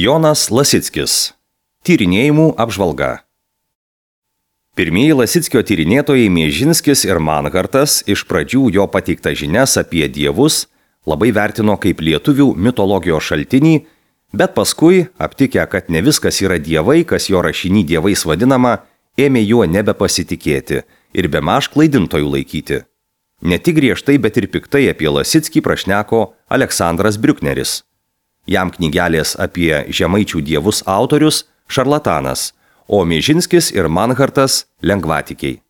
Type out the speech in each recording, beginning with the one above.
Jonas Lasickis. Tyrinėjimų apžvalga. Pirmieji Lasickio tyrinėtojai Miežinskis ir Manhartas iš pradžių jo pateiktą žinias apie dievus labai vertino kaip lietuvių mitologijos šaltinį, bet paskui, aptikę, kad ne viskas yra dievai, kas jo rašiny dievais vadinama, ėmė juo nebepasitikėti ir bemaž klaidintojų laikyti. Ne tik griežtai, bet ir piktai apie Lasickį prašneko Aleksandras Briukneris. Jam knygelės apie žemaičių dievus autorius šarlatanas, o Miežinskis ir Manhartas lengvatikiai.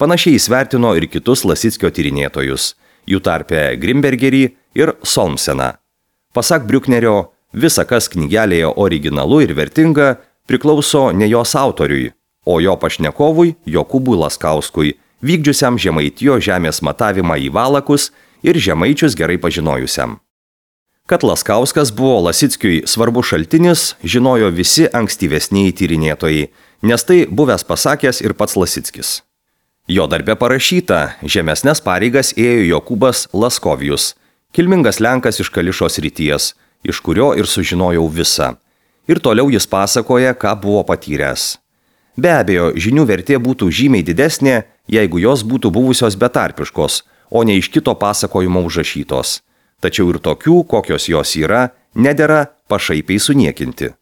Panašiai jis vertino ir kitus Lasickio tyrinėtojus, jų tarpe Grimbergerį ir Solmseną. Pasak Briuknerio, visa, kas knygelėje originalu ir vertinga, priklauso ne jos autoriui, o jo pašnekovui Jokūbui Laskauskui, vykdžiusiam Žemaitijos žemės matavimą į valakus ir žemaičius gerai pažinojusiam. Kad Laskauskas buvo Lasickiui svarbus šaltinis, žinojo visi ankstyvesnieji tyrinėtojai, nes tai buvęs pasakęs ir pats Lasickis. Jo darbe parašyta, žemesnes pareigas ėjo Jokūbas Laskovijus, kilmingas lenkas iš Kališos srities, iš kurio ir sužinojau visą. Ir toliau jis pasakoja, ką buvo patyręs. Be abejo, žinių vertė būtų žymiai didesnė, jeigu jos būtų buvusios betarpiškos, o ne iš kito pasakojimo užrašytos. Tačiau ir tokių, kokios jos yra, nedera pašaipiai suniekinti.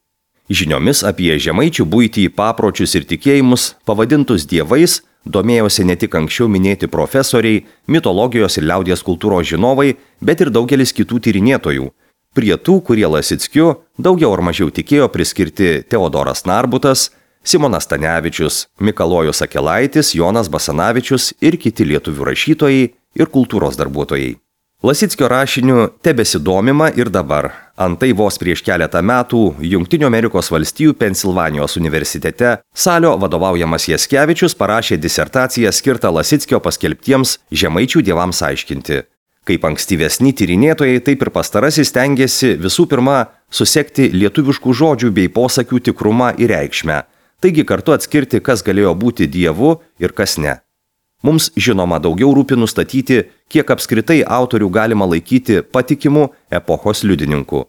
Žiniomis apie žemaičių buitį, papročius ir tikėjimus, pavadintus dievais, domėjosi ne tik anksčiau minėti profesoriai, mitologijos ir liaudies kultūros žinovai, bet ir daugelis kitų tyrinėtojų. Prie tų, kurie Lasickiu daugiau ar mažiau tikėjo, priskirti Teodoras Narbutas, Simonas Stanevičius, Mikalojus Akelaitis, Jonas Basanavičius ir kiti lietuvių rašytojai ir kultūros darbuotojai. Lasickio rašiniu tebesidomima ir dabar. Antai vos prieš keletą metų Jungtinių Amerikos valstijų Pensilvanijos universitete Salio vadovaujamas Jaskevičius parašė disertaciją skirtą Lasickio paskelbtiems žemaičių dievams aiškinti. Kaip ankstyvesni tyrinėtojai, taip ir pastarasis stengiasi visų pirma susekti lietuviškų žodžių bei posakių tikrumą ir reikšmę, taigi kartu atskirti, kas galėjo būti dievu ir kas ne. Mums žinoma daugiau rūpi nustatyti, kiek apskritai autorių galima laikyti patikimu epochos liudininku.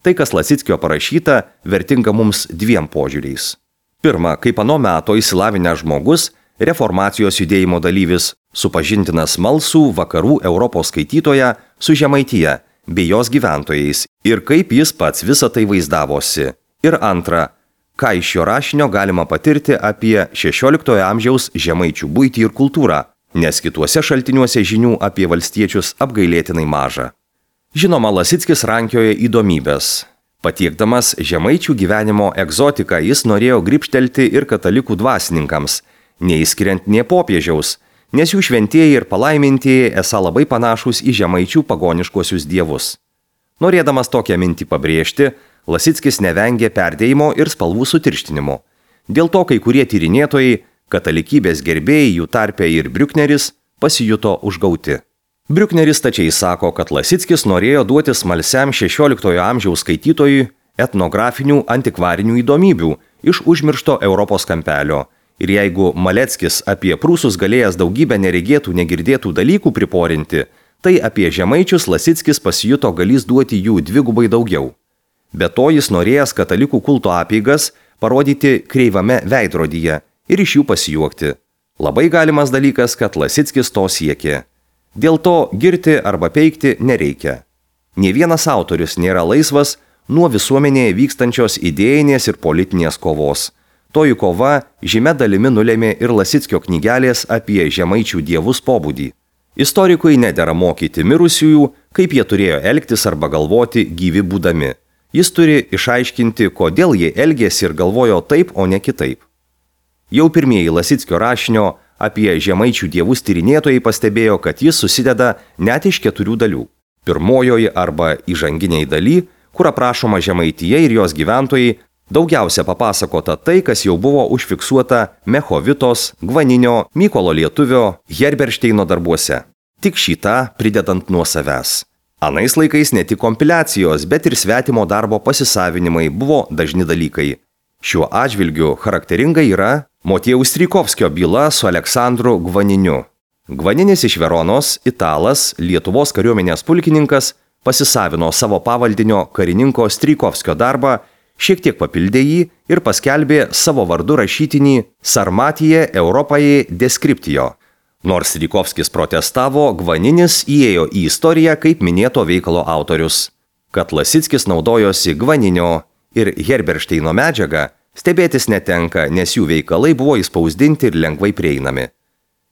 Tai, kas Lasickio parašyta, vertinga mums dviem požiūriais. Pirma, kaip ano meto išsilavinęs žmogus, reformacijos judėjimo dalyvis, supažintinas smalsų vakarų Europos skaitytoją su Žemaitija bei jos gyventojais ir kaip jis pats visą tai vaizdavosi. Ir antra, ką iš šio rašinio galima patirti apie 16 amžiaus žemaičių buitį ir kultūrą, nes kituose šaltiniuose žinių apie valstiečius apgailėtinai maža. Žinoma, Lasickis rankioja įdomybės. Patiekdamas žemaičių gyvenimo egzotiką, jis norėjo gribštelti ir katalikų dvasininkams, neįskiriant nė popiežiaus, nes jų šventieji ir palaimintieji esą labai panašūs į žemaičių pagoniškuosius dievus. Norėdamas tokią mintį pabrėžti, Lasickis nevengė perdėjimo ir spalvų sutirštinimo. Dėl to kai kurie tyrinėtojai, katalikybės gerbėjai, jų tarpe ir Briukneris, pasijuto užgauti. Briukneris tačiai sako, kad Lasickis norėjo duoti smalsiam 16 amžiaus skaitytojui etnografinių antikvarinių įdomybių iš užmiršto Europos kampelio. Ir jeigu Maleckis apie prūsus galėjęs daugybę neregėtų, negirdėtų dalykų priporinti, tai apie žemaičius Lasickis pasijuto galys duoti jų dvigubai daugiau. Be to jis norėjęs katalikų kulto apeigas parodyti kreivame veidrodyje ir iš jų pasijuokti. Labai galimas dalykas, kad Lasickis to siekė. Dėl to girti arba peikti nereikia. Nė vienas autorius nėra laisvas nuo visuomenėje vykstančios idėjinės ir politinės kovos. Toji kova žymia dalimi nulėmė ir Lasickio knygelės apie žemaičių dievus pobūdį. Istorikui nedera mokyti mirusiųjų, kaip jie turėjo elgtis arba galvoti gyvi būdami. Jis turi išaiškinti, kodėl jie elgėsi ir galvojo taip, o ne kitaip. Jau pirmieji Lasickio rašinio apie žemaičių dievus tyrinėtojai pastebėjo, kad jis susideda net iš 4 dalių. Pirmojoje arba įžanginiai daly, kur aprašoma Žemaitija ir jos gyventojai, daugiausia papasakota tai, kas jau buvo užfiksuota Mechovitos, Gvaninio, Mykolo Lietuvio, Herberšteino darbuose. Tik šitą pridedant nuo savęs. Anais laikais ne tik kompiliacijos, bet ir svetimo darbo pasisavinimai buvo dažni dalykai. Šiuo atžvilgiu charakteringa yra Motiejaus Strijkovskio byla su Aleksandru Gvaniniu. Gvaninis iš Veronos, italas, Lietuvos kariuomenės pulkininkas, pasisavino savo pavaldinio karininko Strijkovskio darbą, šiek tiek papildė jį ir paskelbė savo vardu rašytinį Sarmatije Europaje Descriptio. Nors Strijkovskis protestavo, Gvaninis įėjo į istoriją kaip minėto veikalo autorius. Kad Lasickis naudojosi Gvaninio ir Herberšteino medžiagą, stebėtis netenka, nes jų veikalai buvo įspausdinti ir lengvai prieinami.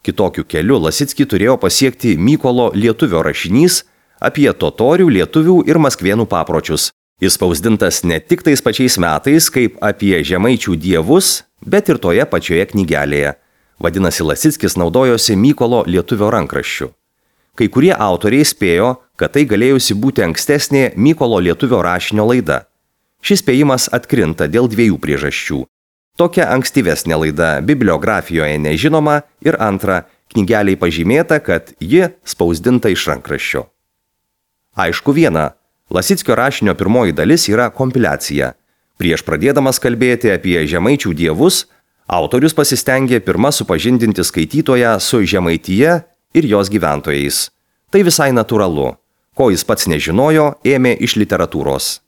Kitokiu keliu Lasickį turėjo pasiekti Mykolo Lietuvio rašinys apie totorių, lietuvių ir maskvėnų papročius. Įspausdintas ne tik tais pačiais metais, kaip apie žemaičių dievus, bet ir toje pačioje knygelėje. Vadinasi, Lasickis naudojosi Mykolo Lietuvio rankraščiu. Kai kurie autoriai spėjo, kad tai galėjusi būti ankstesnė Mykolo Lietuvio rašinio laida. Šis spėjimas atkrinta dėl dviejų priežasčių. Tokia ankstyvesnė laida bibliografijoje nežinoma ir antra, knygeliai pažymėta, kad ji spausdinta iš rankraščio. Aišku viena, Lasickio rašinio pirmoji dalis yra kompiliacija. Prieš pradėdamas kalbėti apie žemaičių dievus, autorius pasistengė pirmą supažindinti skaitytoją su Žemaitija ir jos gyventojais. Tai visai natūralu. Ko jis pats nežinojo, ėmė iš literatūros.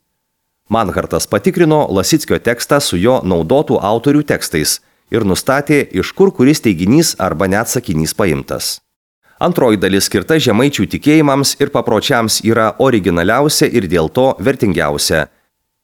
Manhartas patikrino Lasickio tekstą su jo naudotų autorių tekstais ir nustatė, iš kur kuris teiginys arba net sakinys paimtas. Antroji dalis skirta žemaičių tikėjimams ir papročiams yra originaliausia ir dėl to vertingiausia.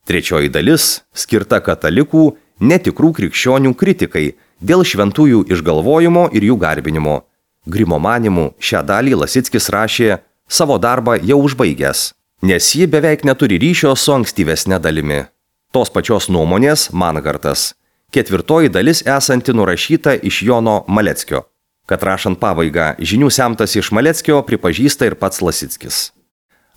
Trečioji dalis skirta katalikų, netikrų krikščionių kritikai dėl šventųjų išgalvojimo ir jų garbinimo. Grimo manymu šią dalį Lasickis rašė savo darbą jau užbaigęs, nes ji beveik neturi ryšio su ankstyvesne dalimi. Tos pačios nuomonės Manhartas. Ketvirtoji dalis esanti nurašyta iš Jono Maleckio. Kad rašant pabaigą žinių semtas iš Maleckio pripažįsta ir pats Lasickis.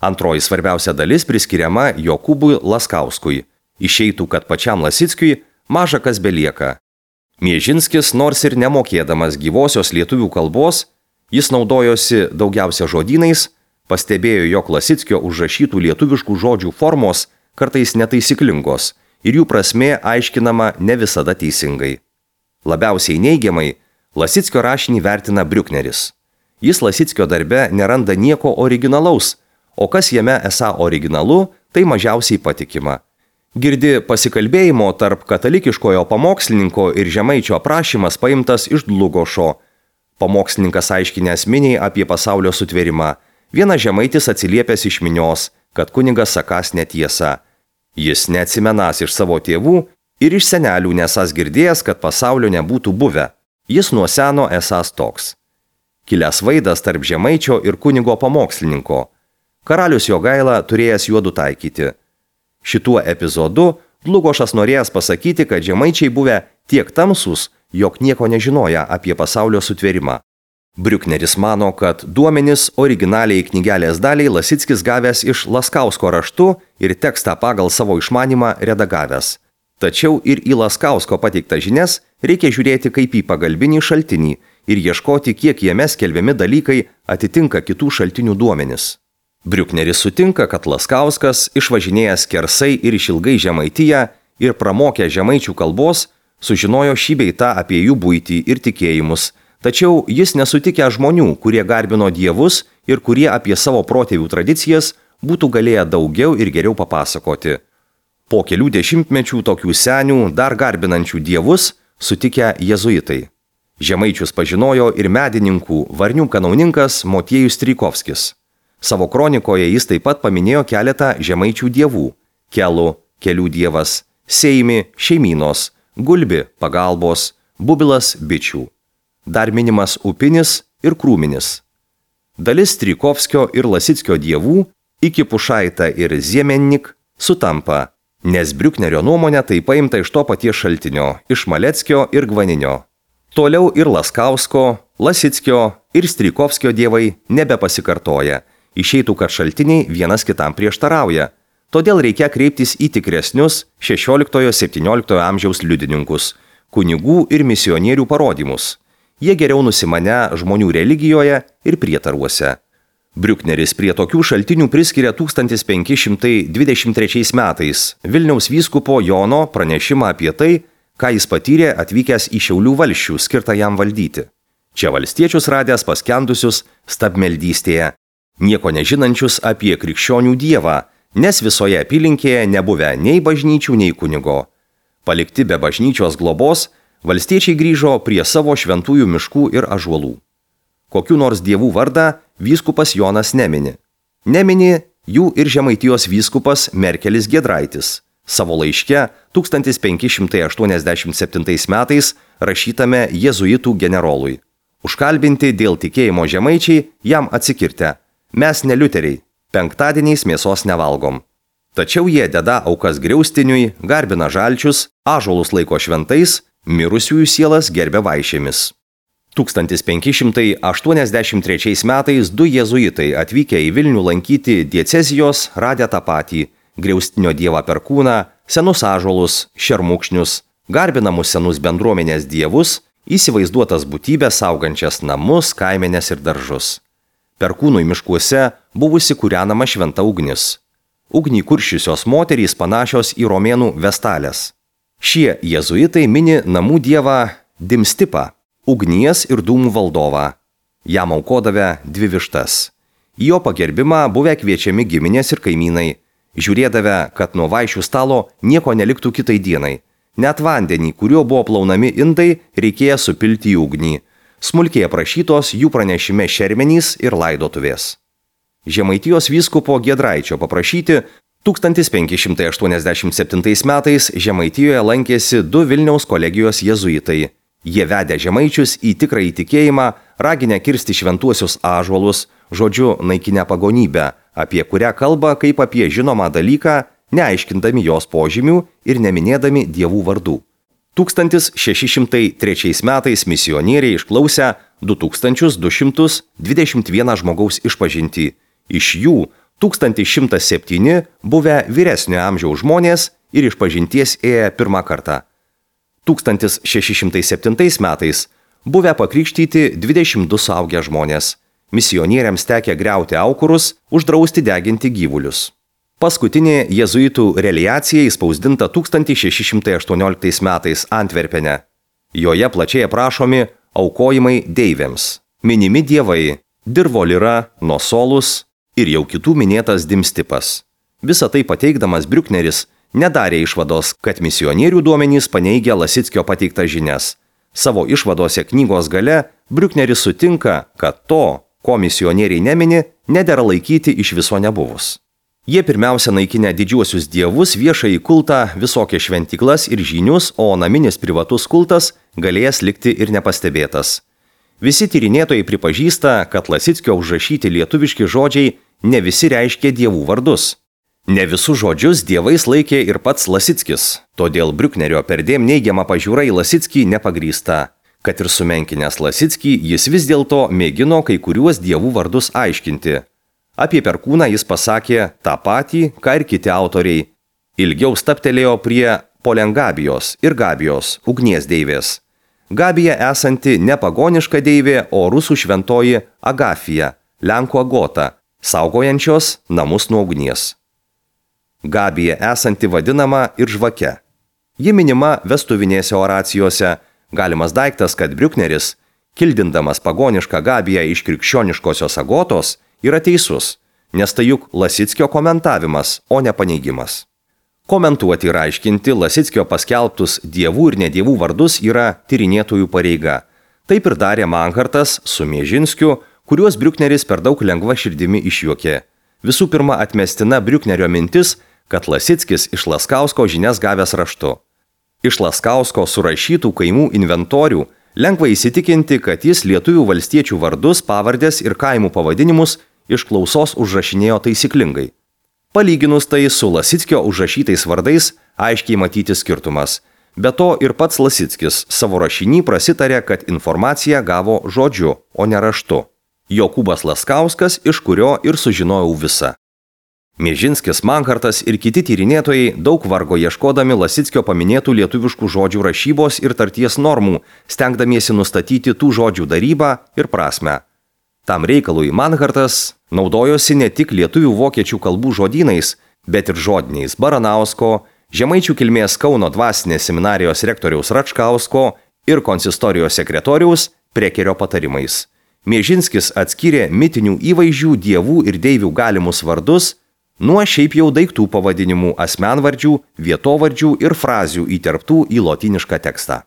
Antroji svarbiausia dalis priskiriama Jokūbui Laskauskui. Išeitų, kad pačiam Lasickiui maža kas belieka. Miežinskis, nors ir nemokėdamas gyvosios lietuvių kalbos, jis naudojosi daugiausia žodynais, pastebėjo, jog Lasickio užrašytų lietuviškų žodžių formos kartais netaisyklingos ir jų prasmė aiškinama ne visada teisingai. Labiausiai neigiamai Lasickio rašinį vertina Briukneris. Jis Lasickio darbe neranda nieko originalaus, o kas jame esą originalu, tai mažiausiai patikima. Girdi pasikalbėjimo tarp katalikiškojo pamokslininko ir žemaičio aprašymas paimtas iš Dlugošo. Pamokslininkas aiškinęs miniai apie pasaulio sutvėrimą. Vienas žemaitis atsiliepęs iš minios, kad kunigas sakąs netiesą. Jis neatsimenąs iš savo tėvų ir iš senelių nesąs girdėjęs, kad pasaulio nebūtų buvę. Jis nuo seno esąs toks. Kilęs vaidas tarp žemaičio ir kunigo pamokslininko. Karalius Jogaila turėjęs juodu taikyti. Šituo epizodu Dlugošas norėjęs pasakyti, kad žemaičiai buvę tiek tamsūs, jog nieko nežinoja apie pasaulio sutvėrimą. Briukneris mano, kad duomenis originaliai knygelės daliai Lasickis gavęs iš Laskausko raštu ir tekstą pagal savo išmanymą redagavęs. Tačiau ir į Laskausko pateiktą žinias reikia žiūrėti kaip į pagalbinį šaltinį ir ieškoti, kiek jame skelbiami dalykai atitinka kitų šaltinių duomenis. Briukneris sutinka, kad Laskauskas, išvažinėjęs skersai ir išilgai Žemaitiją ir pramokė žemaičių kalbos, sužinojo šį bei tą apie jų buitį ir tikėjimus, tačiau jis nesutikė žmonių, kurie garbino dievus ir kurie apie savo protėvių tradicijas būtų galėję daugiau ir geriau papasakoti. Po kelių dešimtmečių tokių senių, dar garbinančių dievus, sutikę jėzuitai. Žemaičius pažinojo ir medininkų varnių kanauninkas Motiejus Strijkovskis. Savo kronikoje jis taip pat paminėjo keletą žemaičių dievų – Kelų, kelių dievas, Seimi, šeimynos, Gulbi, pagalbos, Bubilas, bičių. Dar minimas Upinis ir Krūminis. Dalis Strijkovskio ir Lasickio dievų, iki Pušaita ir Ziemennik, sutampa, nes Briuknerio nuomonė tai paimta iš to paties šaltinio, iš Maleckio ir Gvaninio. Toliau ir Laskausko, Lasickio ir Strijkovskio dievai nebepasikartoja. Išeitų, kad šaltiniai vienas kitam prieštarauja. Todėl reikia kreiptis į tikresnius 16-17 amžiaus liudininkus, kunigų ir misionierių parodymus. Jie geriau nusimane žmonių religijoje ir prietaruose. Briukneris prie tokių šaltinių priskiria 1523 metais Vilniaus vyskupo Jono pranešimą apie tai, ką jis patyrė atvykęs į Šiaulių valsčių skirtą jam valdyti. Čia valstiečius radęs paskendusius stabmeldystėje. nieko nežinančius apie krikščionių dievą, nes visoje apylinkėje nebuvę nei bažnyčių, nei kunigo. Palikti be bažnyčios globos, valstiečiai grįžo prie savo šventųjų miškų ir ąžuolų. Kokių nors dievų vardą vyskupas Jonas nemini. Nemini jų ir Žemaitijos vyskupas Merkelis Giedraitis savo laiške 1587 metais rašytame jėzuitų generolui. Užkalbinti dėl tikėjimo žemaičiai jam atsikirtę. Mes ne liuteriai, penktadieniais mėsos nevalgom. Tačiau jie deda aukas griaustiniui, garbina žalčius, ąžuolus laiko šventais, mirusiųjų sielas gerbia vaišėmis. 1583 metais du jėzuitai atvykę į Vilnių lankyti diecezijos radę tą patį – griaustinio dievą Perkūną, senus ąžuolus, šermukšnius, garbinamus senus bendruomenės dievus, įsivaizduotas būtybės saugančias namus, kaimenes ir daržus. Perkūnui miškuose buvusi kūrenama šventa ugnis. Ugnį kuršiusios moterys panašios į romėnų vestalės. Šie jėzuitai mini namų dievą Dimstipą, ugnies ir dūmų valdovą. Jam aukodavę 2 vištas. Į jo pagerbimą buvę kviečiami giminės ir kaimynai, žiūrėdavę, kad nuo vaišių stalo nieko neliktų kitai dienai. Net vandenį, kuriuo buvo plaunami indai, reikėjo supilti į ugnį. Smulkiai aprašytos jų pranešime šermenys ir laidotuvės. Žemaitijos vyskupo Giedraičio paprašyti 1587 metais Žemaitijoje lankėsi 2 Vilniaus kolegijos jėzuitai. Jie vedė žemaičius į tikrąjį tikėjimą, raginę kirsti šventuosius ąžuolus, žodžiu naikinę pagonybę, apie kurią kalba kaip apie žinomą dalyką, neaiškindami jos požymių ir neminėdami dievų vardų. 1603 metais misionieriai išklausė 2221 žmogaus išpažintį. Iš jų 1107 buvę vyresnio amžiaus žmonės ir išpažinties ėję pirmą kartą. 1607 metais buvę pakrikštyti 22 suaugę žmonės. Misionieriams tekė griauti aukurus, uždrausti deginti gyvulius. Paskutinė jėzuitų reliacija įspausdinta 1618 metais Antverpene. Joje plačiai aprašomi aukojimai deivėms, minimi dievai Dirvolira, Nosolus ir jau kitų minėtas Dimstipas. Visą tai pateikdamas Briukneris nedarė išvados, kad misionierių duomenys paneigia Lasickio pateiktas žinias. Savo išvadose knygos gale Briukneris sutinka, kad to, ko misionieriai nemini, nedera laikyti iš viso nebuvus. Jie pirmiausia naikinę didžiuosius dievus, viešąjį kultą, visokias šventyklas ir žynius, o naminis privatus kultas galėjęs likti ir nepastebėtas. Visi tyrinėtojai pripažįsta, kad Lasickio užrašyti lietuviški žodžiai ne visi reiškia dievų vardus. Ne visus žodžius dievais laikė ir pats Lasickis, todėl Briuknerio perdėm neigiama pažiūra į Lasickį nepagrįsta. Kad ir sumenkinęs Lasickį, jis vis dėlto mėgino kai kuriuos dievų vardus aiškinti. Apie Perkūną jis pasakė tą patį, ką ir kiti autoriai. Ilgiau staptelėjo prie Polengabijos ir Gabijos, ugnies deivės. Gabija esanti ne pagoniška deivė, o rusų šventoji Agafija, lenkų Agota, saugojančios namus nuo ugnies. Gabija esanti vadinama ir žvake. Ji minima vestuvinėse oracijose. Galimas daiktas, kad Briukneris, kildindamas pagonišką Gabiją iš krikščioniškosios Agotos, yra teisus, nes tai juk Lasickio komentavimas, o ne paneigimas. Komentuoti ir aiškinti Lasickio paskelbtus dievų ir nedievų vardus yra tyrinėtojų pareiga. Taip ir darė Manhartas su Miežinskiu, kuriuos Briukneris per daug lengva širdimi išjuokė. Visų pirma atmestina Briuknerio mintis, kad Lasickis iš Laskausko žinias gavęs raštu. Iš Laskausko surašytų kaimų inventorių lengva įsitikinti, kad jis lietuvių valstiečių vardus, pavardės ir kaimų pavadinimus iš klausos užrašinėjo taisyklingai. Palyginus tai su Lasickio užrašytais vardais aiškiai matyti skirtumas. Be to ir pats Lasickis savo rašinį prasitarė, kad informaciją gavo žodžiu, o ne raštu. Jokūbas Laskauskas, iš kurio ir sužinojau visą. Miežinskis, Manhartas ir kiti tyrinėtojai daug vargo ieškodami Lasickio paminėtų lietuviškų žodžių rašybos ir tarties normų, stengdamiesi nustatyti tų žodžių darybą ir prasmę. Tam reikalui Manhartas naudojosi ne tik lietuvių vokiečių kalbų žodynais, bet ir žodiniais Baranausko, žemaičių kilmės Kauno dvasinės seminarijos rektoriaus Račkausko ir konsistorijos sekretoriaus Prekerio patarimais. Miežinskis atskyrė mitinių įvaizdžių, dievų ir deivių galimus vardus nuo šiaip jau daiktų pavadinimų, asmenvardžių, vietovardžių ir frazių įterptų į lotynišką tekstą.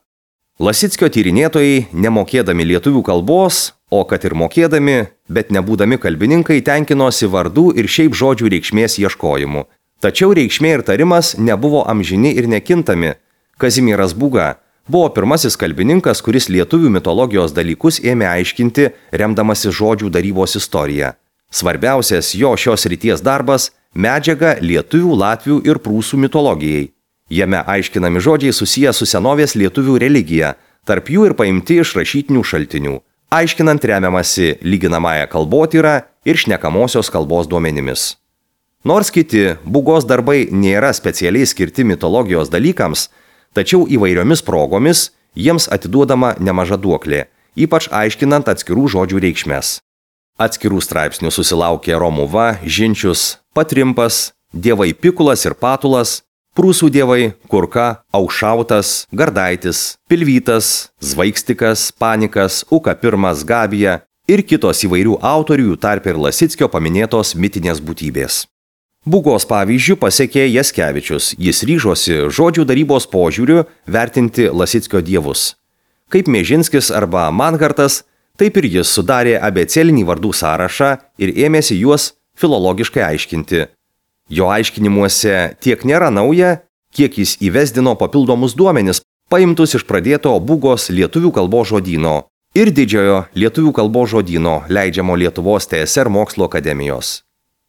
Lasickio tyrinėtojai, nemokėdami lietuvių kalbos, o kad ir mokėdami, bet nebūdami kalbininkai, tenkinosi vardų ir šiaip žodžių reikšmės ieškojimu. Tačiau reikšmė ir tarimas nebuvo amžini ir nekintami. Kazimieras Būga buvo pirmasis kalbininkas, kuris lietuvių mitologijos dalykus ėmė aiškinti, remdamasi žodžių darybos istorija. Svarbiausias jo šios srities darbas – medžiaga lietuvių, latvių ir prūsų mitologijai. Jame aiškinami žodžiai susiję su senovės lietuvių religija, tarp jų ir paimti iš rašytinių šaltinių, aiškinant remiamasi lyginamąją kalbotyrą ir šnekamosios kalbos duomenimis. Nors kiti Būgos darbai nėra specialiai skirti mitologijos dalykams, tačiau įvairiomis progomis jiems atiduodama nemaža duoklė, ypač aiškinant atskirų žodžių reikšmes. Atskirų straipsnių susilaukė Romuva, Žinčius, Patrimpas, dievai Pikulas ir Patulas, prūsų dievai Kurka, Aušautas, Gardaitis, Pilvytas, Zvaigstikas, Panikas, Uka I, Gabija ir kitos įvairių autorių, tarp ir Lasickio paminėtos mitinės būtybės. Būgos pavyzdžių pasekė Jaskevičius, jis ryžosi žodžių darybos požiūriu vertinti Lasickio dievus. Kaip Miežinskis arba Manhartas, taip ir jis sudarė abėcėlinį vardų sąrašą ir ėmėsi juos filologiškai aiškinti. Jo aiškinimuose tiek nėra nauja, kiek jis įvesdino papildomus duomenis, paimtus iš pradėto Būgos lietuvių kalbos žodyno ir didžiojo lietuvių kalbos žodyno, leidžiamo Lietuvos TSR mokslo akademijos.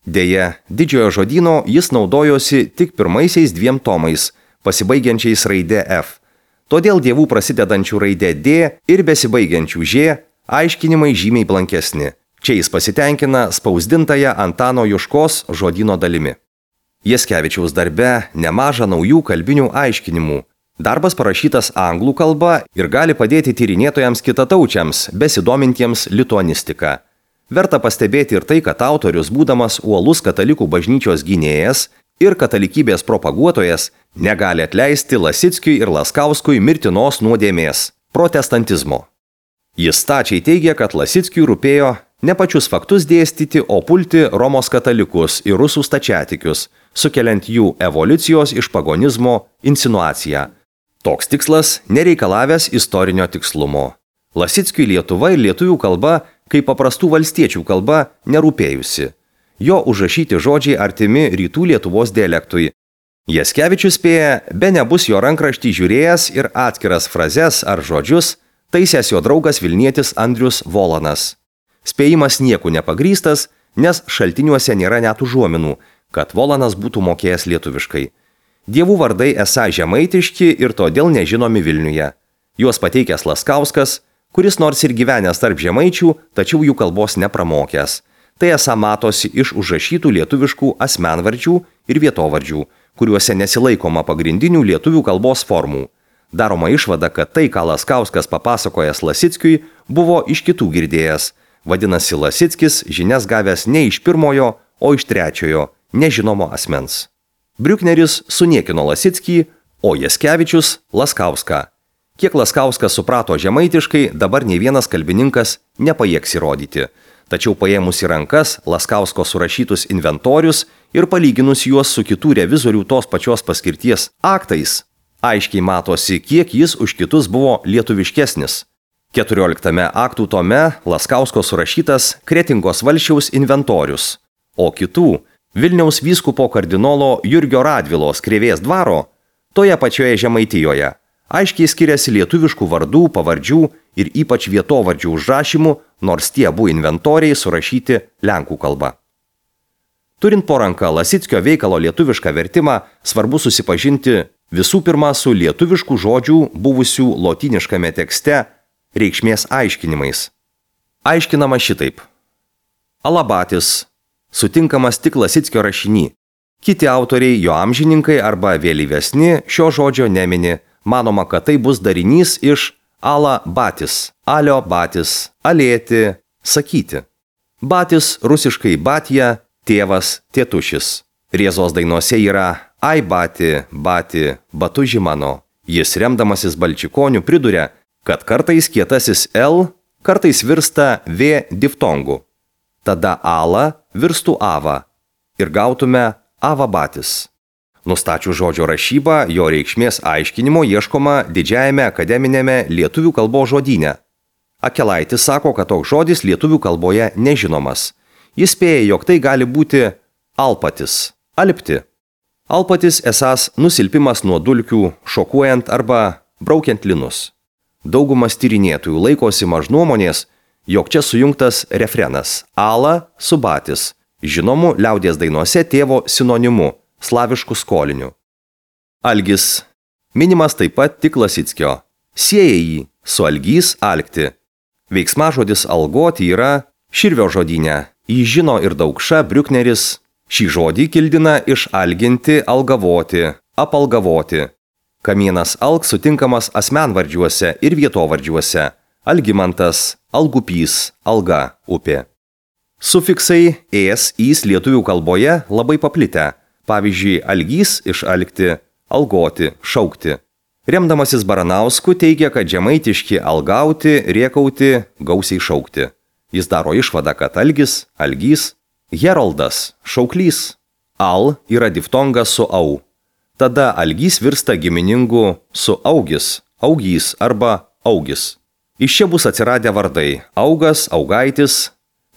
Deja, didžiojo žodyno jis naudojosi tik pirmaisiais 2 tomais, pasibaigiančiais raide F. Todėl dievų prasidedančių raide D ir besibaigiančių Ž aiškinimai žymiai blankesni. Čia jis pasitenkina spausdintąją Antano Juškos žodyno dalimi. Jaskevičiaus darbe nemaža naujų kalbinių aiškinimų. Darbas parašytas anglų kalba ir gali padėti tyrinėtojams kitataučiams, besidomintiems lituanistika. Verta pastebėti ir tai, kad autorius, būdamas uolus katalikų bažnyčios gynėjas ir katalikybės propaguotojas, negali atleisti Lasickiui ir Laskauskui mirtinos nuodėmės – protestantizmo. Jis stačiai teigia, kad Lasickiui rūpėjo ne pačius faktus dėstyti, o pulti Romos katalikus ir rusų stačiatikius, sukeliant jų evoliucijos iš pagonizmo insinuaciją. Toks tikslas nereikalavęs istorinio tikslumo. Lasickiui Lietuva ir lietuvių kalba, kaip paprastų valstiečių kalba, nerūpėjusi. Jo užrašyti žodžiai artimi rytų Lietuvos dialektui. Jaskevičius spėja, be nebus jo rankraštį žiūrėjęs ir atskiras frazes ar žodžius taisęs jo draugas Vilnietis Andrius Volanas. Spėjimas nieku nepagrįstas, nes šaltiniuose nėra net užuominų, kad Volanas būtų mokėjęs lietuviškai. Dievų vardai esą žemaitiški ir todėl nežinomi Vilniuje. Juos pateikęs Laskauskas, kuris nors ir gyvenęs tarp žemaičių, tačiau jų kalbos nepramokęs. Tai esą matosi iš užrašytų lietuviškų asmenvardžių ir vietovardžių, kuriuose nesilaikoma pagrindinių lietuvių kalbos formų. Daroma išvada, kad tai, ką Laskauskas papasakojęs Lasickiui, buvo iš kitų girdėjęs. Vadinasi, Lasickis žinias gavęs ne iš pirmojo, o iš trečiojo, nežinomo asmens. Briukneris suniekino Lasickį, o Jaskevičius Laskauską. Kiek Laskauskas suprato žemaitiškai, dabar nei vienas kalbininkas nepajėgs įrodyti. Tačiau paėmus į rankas Laskausko surašytus inventorius ir palyginus juos su kitų revizorių tos pačios paskirties aktais, aiškiai matosi, kiek jis už kitus buvo lietuviškesnis. 14 aktų tome Laskausko surašytas Kretingos valsčiaus inventorius, o kitų Vilniaus vyskupo kardinolo Jurgio Radvilos Krėvės dvaro toje pačioje Žemaitijoje aiškiai skiriasi lietuviškų vardų, pavardžių ir ypač vietovardžių užrašymų, nors tie abu inventoriai surašyti lenkų kalba. Turint po ranką Lasickio veikalo lietuvišką vertimą, svarbu susipažinti visų pirma su lietuviškų žodžių buvusių lotyniškame tekste reikšmės aiškinimais. Aiškinama šitaip. Alabatis sutinkamas tik Lasickio rašiny. Kiti autoriai, jo amžininkai arba vėlyvesni šio žodžio nemini. Manoma, kad tai bus darinys iš ala batis, alio batis, alėti, sakyti. Batis rusiškai batija, tėvas, tėtušis. Rėzos dainuose yra ai bati, bati, batuži mano. Jis remdamasis Balčikoniu priduria, kad kartais kietasis L kartais virsta V diftongu. Tada ala virstų ava ir gautume avabatis. Nustačius žodžio rašybą, jo reikšmės aiškinimo ieškoma didžiajame akademinėme lietuvių kalbos žodyne. Akelaitis sako, kad toks žodis lietuvių kalboje nežinomas. Jis spėja, jog tai gali būti alpatis, alpti. Alpatis esąs nusilpimas nuo dulkių, šokuojant arba braukiant linus. Daugumas tyrinėtojų laikosi mažnuomonės, jog čia sujungtas refrenas ala su batis, žinomu liaudies dainose tėvo sinonimu, slavišku skoliniu. Algis. Minimas taip pat tik Lasickio. Sieja jį su algys alkti. Veiksmažodis algoti yra Širvio žodyne. Jį žino ir Daukša, Briukneris. Šį žodį kildina iš alginti, algavoti, apalgavoti. Kamienas alk sutinkamas asmenvardžiuose ir vietovardžiuose. Algimantas, algupys, alga, upė. Sufiksai ės, ys lietuvių kalboje labai paplitę. Pavyzdžiui, algys iš alkti, algoti, šaukti. Remdamasis Baranausku teigia, kad žemaitiški algauti, riekauti, gausiai šaukti. Jis daro išvadą, kad algis, algys, heroldas, šauklys. Al yra diftongas su au. Tada algys virsta giminingu su augis, augys arba augis. Iš čia bus atsiradę vardai augas, augaitis.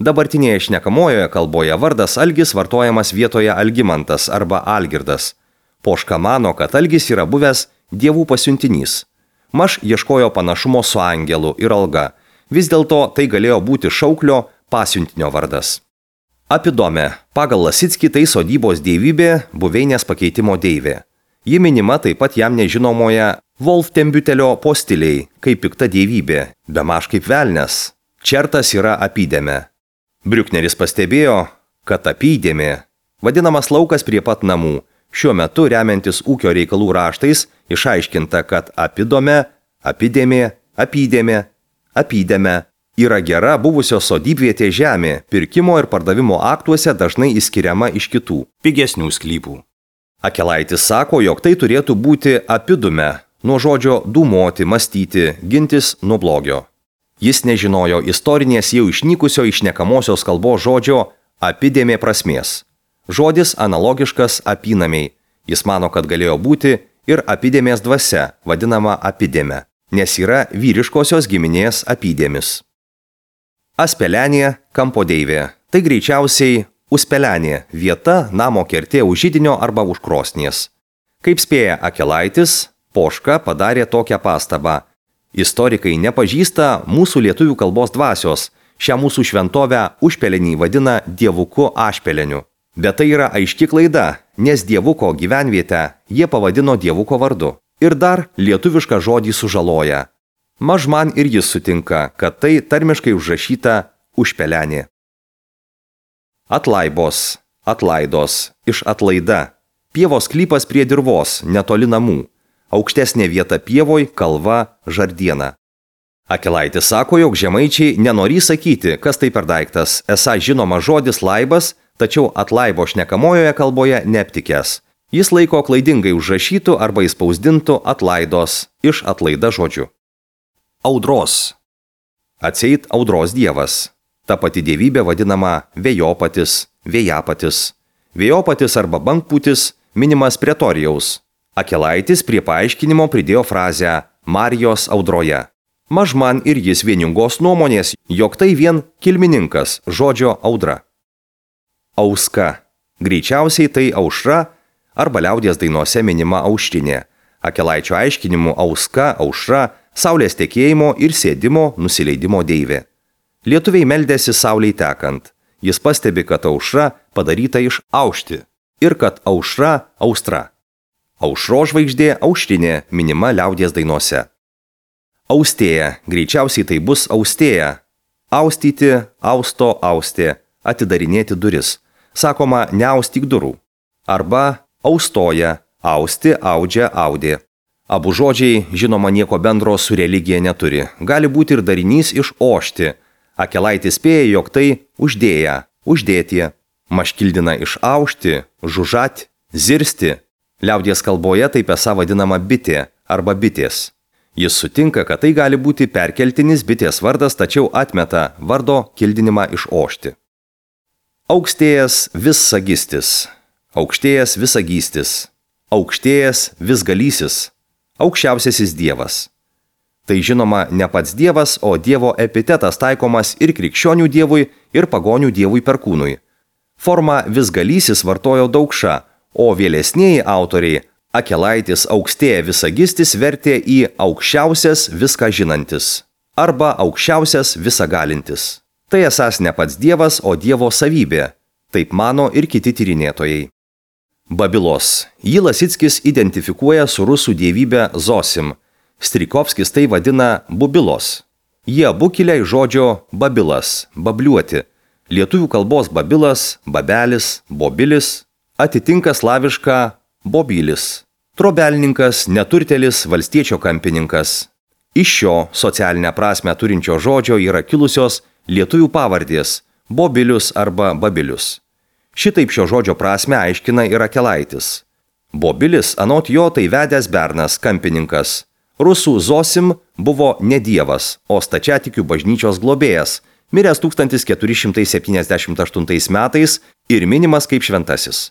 Dabartinėje šnekamojoje kalboje vardas algis vartojamas vietoje Algimantas arba Algirdas. Poška mano, kad algis yra buvęs dievų pasiuntinys. Maš ieškojo panašumo su angelu ir alga. Vis dėlto tai galėjo būti šauklio pasiuntinio vardas. Apidome. Pagal Lasickį tai sodybos dievybė, buveinės pakeitimo deivė. Ji minima taip pat jam nežinomoje Wolftembiutelio postiliai, kaip pikta dievybė, bemaž kaip velnias. Čertas yra apydėme. Briukneris pastebėjo, kad apydėmė, vadinamas laukas prie pat namų, šiuo metu remiantis ūkio reikalų raštais, išaiškinta, kad apidome, apydėmė, apydėmė, apydėme yra gera buvusios sodybvietė žemė, pirkimo ir pardavimo aktuose dažnai išskiriama iš kitų, pigesnių sklypų. Akelaitis sako, jog tai turėtų būti apidume, nuo žodžio dūmoti, mąstyti, gintis nuo blogio. Jis nežinojo istorinės jau išnykusio išnekamosios kalbos žodžio apidėmė prasmės. Žodis analogiškas apynamiai. Jis mano, kad galėjo būti ir apidėmės dvasia, vadinama apidėme, nes yra vyriškosios giminės apydėmis. Aspelenė, kampo deivė. Tai greičiausiai uspelenė, vieta namo kertė už židinio arba už krosnies. Kaip spėja Akelaitis, Poška padarė tokią pastabą. Istorikai nepažįsta mūsų lietuvių kalbos dvasios, šią mūsų šventovę užpelenį vadina dievuku ašpeleniu. Bet tai yra aiški klaida, nes dievuko gyvenvietę jie pavadino dievuko vardu. Ir dar lietuvišką žodį sužaloja. Maž man ir jis sutinka, kad tai tarmiškai užrašyta užpelenė. Atlaibos, atlaidos, iš atlaida. Pievos sklypas prie dirvos, netoli namų. Aukštesnė vieta pievoj, kalva, žardiena. Akelaitis sako, jog žemaičiai nenorį sakyti, kas tai per daiktas, esą žinoma žodis laibas, tačiau atlaibo šnekamojoje kalboje neaptikęs. Jis laiko klaidingai užrašytų arba įspausdintų atlaidos iš atlaida žodžių. Audros. Atseit audros dievas. Ta pati dievybė vadinama vėjopatis, vėjapatis. Vėjopatis arba bangpūtis minimas Pretorijaus. Akelaitis prie paaiškinimo pridėjo frazę Marijos audroje. Maž man ir jis vieningos nuomonės, jog tai vien kilmininkas žodžio audra. Auska. Greičiausiai tai aušra arba liaudies dainose minima aušrinė. Akelaičio aiškinimu auska, aušra, saulės tekėjimo ir sėdimo, nusileidimo deivė. Lietuviai meldėsi saulei tekant. Jis pastebi, kad aušra padaryta iš aušti ir kad aušra austra. Aušro žvaigždė aušrinė minima liaudies dainose. Austėja. Greičiausiai tai bus austėja. Austyti, austo, austė. Atidarinėti duris. Sakoma, neaustyk durų. Arba austoja. Austi, audžia, audė. Abu žodžiai, žinoma, nieko bendro su religija neturi. Gali būti ir darinys iš ošti. Akelaitis spėja, jog tai uždėja, uždėtie. Maškildina iš aušti, žužat, zirsti. Liaudies kalboje taip esą vadinama bitė arba bitės. Jis sutinka, kad tai gali būti perkeltinis bitės vardas, tačiau atmeta vardo kildinimą iš ošti. Aukštėjas vissagistis, aukštėjas visagystis, aukštėjas visgalysis, aukščiausiasis dievas. Tai žinoma ne pats dievas, o dievo epitetas taikomas ir krikščionių dievui, ir pagonių dievui Perkūnui. Formą visgalysis vartojo Daukša, o vėlesnieji autoriai Akelaitis aukštėja visagistis vertė į aukščiausias viską žinantis arba aukščiausias visagalintis. Tai esąs ne pats dievas, o dievo savybė. Taip mano ir kiti tyrinėtojai. Babilos. Jį Lasickis identifikuoja su rusų dievybe Zosim. Strijkovskis tai vadina bubilos. Jie abu kilę iš žodžio babilas, babliuoti. Lietuvių kalbos babilas, babelis, bobilis atitinka slavišką bobylis. Trobelninkas, neturtelis, valstiečio kampininkas. Iš šio socialinę prasmę turinčio žodžio yra kilusios lietuvių pavardės – Bobilius arba Babilius. Šitaip šio žodžio prasmę aiškina ir Akelaitis. Bobilis anot jo tai vedęs bernas, kampininkas. Rusų Zosim buvo ne dievas, o stačiatikių bažnyčios globėjas, miręs 1478 metais ir minimas kaip šventasis.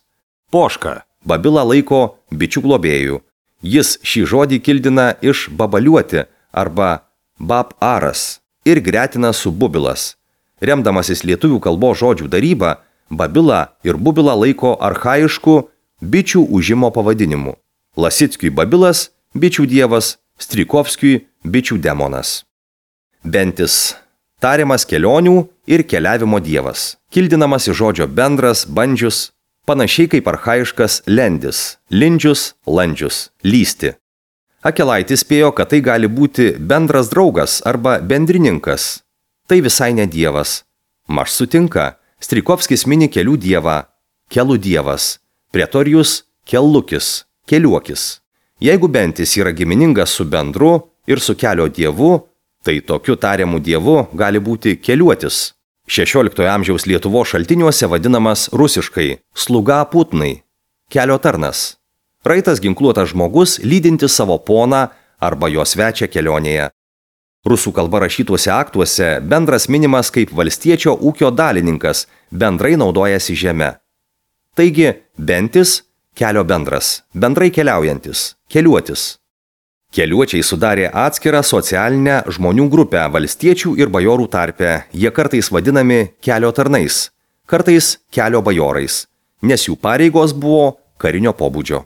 Poška. Babilą laiko bičių globėjų. Jis šį žodį kildina iš babaliuoti arba bab-aras ir gretina su bubilas. Remdamasis lietuvių kalbos žodžių daryba, babilą ir bubilą laiko archaišku bičių užimo pavadinimu. Lasickiui babilas – bičių dievas, Strijkovskiui – bičių demonas. Bentis – tariamas kelionių ir keliavimo dievas, kildinamas iš žodžio bendras, bandžius, panašiai kaip archaiškas lendis, lindžius, landžius, lysti. Akelaitis spėjo, kad tai gali būti bendras draugas arba bendrininkas. Tai visai ne dievas. Maž sutinka, Strijkovskis mini kelių dievą, kelų dievas, Pretorijus – kellukis, keliuokis. Jeigu bentis yra giminingas su bendru ir su kelio dievu, tai tokiu tariamu dievu gali būti keliuotis. 16 amžiaus Lietuvos šaltiniuose vadinamas rusiškai sluga putnai, kelio tarnas. Raitas ginkluotas žmogus lydintis savo poną arba jo svečią kelionėje. Rusų kalba rašytuose aktuose bendras minimas kaip valstiečio ūkio dalininkas, bendrai naudojasi žeme. Taigi, bentis – kelio bendras, bendrai keliaujantis, keliuotis. Keliuočiai sudarė atskirą socialinę žmonių grupę valstiečių ir bajorų tarpe. Jie kartais vadinami kelio tarnais, kartais kelio bajorais, nes jų pareigos buvo karinio pobūdžio.